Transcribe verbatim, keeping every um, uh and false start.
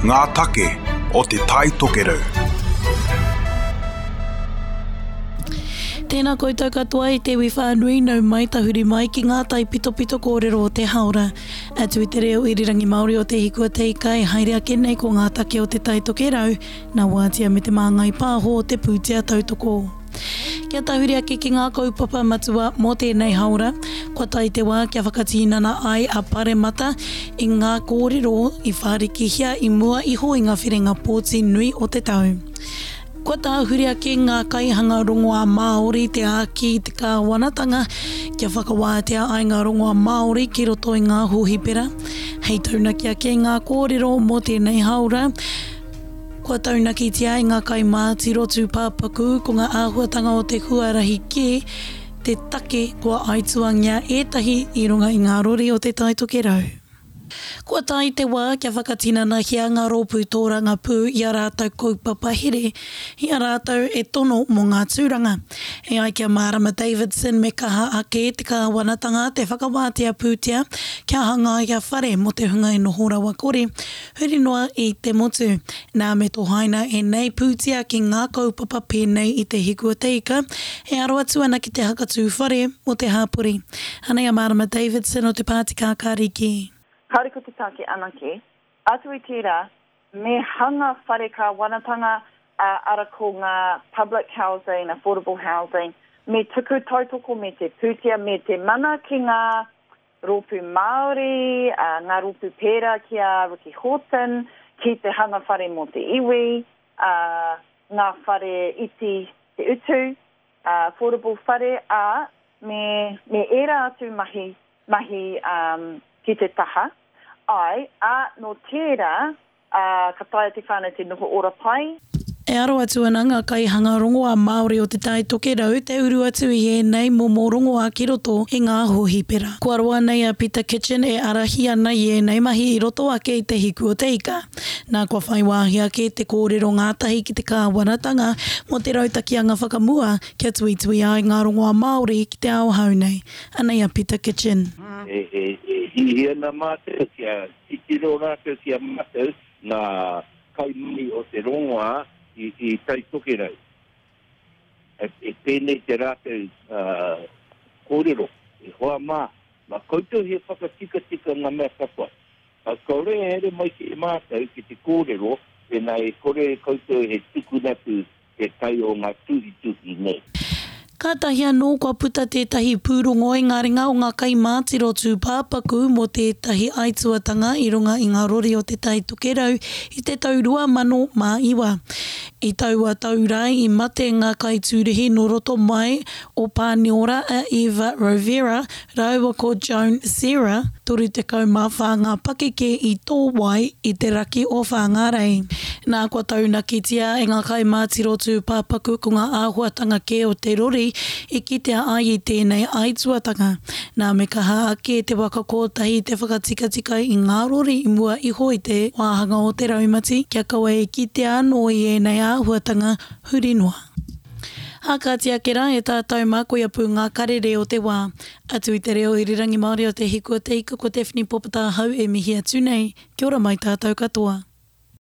Ngā take o Te Tai Tokerau. Tēnā koutou katoa i te iwi whānui nau mai tahuri mai ki ngā taipitopito kōrero o te haora. Atu i te reo irirangi Māori o Te Hiku o Te Ika e haere ake nei ko ngā take o Te Tai Tokerau, nā Wātea me Te Māngai Pāho o te pūtea tautoko. Kia tahuri ake ki ngā kaupapa matua mō tēnei haora, kua tae te wā kia whakatinana ai a Paremata i ngā kōrero i whārikihia i mua iho i ngā whiringa pōti nui o te tau. Kua tāhuri ake ngā kaihanga rongoā Māori te āki i te kāwanatanga kia whakawātea ai ngā rongoā Māori ki roto i ngā hōhipera. Hei taunaki ake ngā kōrero mō tēnei haora, kua taunakitia e ngā kaimātiro tūpāpaku ko ngā āhuatanga o te huarahi kē te take kua aituangia ētahi i runga i ngā rori o Te Tai Tokerau. Kua tae te wā kia whakatinanahia ngā rōpū tōrangapū i a rātou kaupapa here, i a rātou e tono mō ngā tūranga. E ai ki a Marama Davidson me kaha ake te kāwanatanga te whakawātea pūtea kia hangaia whare mō te hunga e noho rawa kore, huri noa i te motu. Nā me tohaina ēnei pūtea ki ngā kaupapa pēnei i te Hiku o te Ika e aro atu ana ki te hakatū whare mō te hāpori. Anei a Marama Davidson o te Pāti Kākāriki. Kāore ko te take anake, atu i tērā, me hanga whare kāwanatanga, ā, ara ko ngā public housing, affordable housing, me tuku tautoko me te pūtea me te mana ki ngā rōpū Māori, ā, ngā rōpū pērā ki a Ricky Horton, ki te hanga whare mō te iwi, ā, ngā whare iti te utu, ā, affordable whare, ā, me, me ērā atu mahi, mahi um, ki te taha. Ai, ā, nō tērā, ā, ka taea te whānau te noho ora pai. E aro atu ana ngā kaihanga rongoā Māori o Te Tai Tokerau te uru atu i ēnei momo rongoā ki roto i ngā hōhipera. Kua roa nei a Peter Kitchen e ārahi ana i ēnei mahi i roto ake i Te Hiku o Te Ika. Nā kua whai wāhi ake te kōrero ngātahi ki te kāwanatanga mō te rautaki anga whakamua kia tuituia ai ngā rongoā Māori ki te ao hou nei. Anei a Peter Kitchen. E, e, e hihi ana mātou kia titiro rātou ki a mātou ngā kaimahi o te rongoā i, i Tai Tokerau. E, e pēnei te rātou uh, kōrero, e hoa mā, mā koutou he whakatikatika ngā mea katoa. A kaore e haere mai ki mātou ki te kōrero, pēnā e kore e koutou he tukuna atu te tai o ngā tuhituhi nei. Kātahi anō kua puta tētahi pūrongo i ngā ringa o ngā kaimātiro tūpāpaku mō tētahi aituatanga i runga i ngā rori o Te Tai Tokerau i te tau rua mano mā iwa. I taua tau rā i mate ngā kaitūrihi nō roto mai o Pāniora a Eva Rovera rāua ko Joan Serra, toru tekau mā whā ngā pakeke i Tōwai i te raki o Whāngārei. Nā kua taunakitia e ngā kaimātiro tūpāpaku ko ngā āhuatanga kē o te rori i kitea ai i tēnei aituatanga. Nā me kaha ake te waka kotahi te whakatikatika i ngā rori i mua iho i te wāhanga o te raumati kia kaua e kitea anō i ēnei āhuatanga huri noa. Ā, kāti ake rā e tātou mā koia pū ngā karere o te wā. Atu i te reo irirangi Māori o Te Hiku o Te Ika ko Daphne Popata ahau e mihi atu nei. Kia ora mai tātou katoa.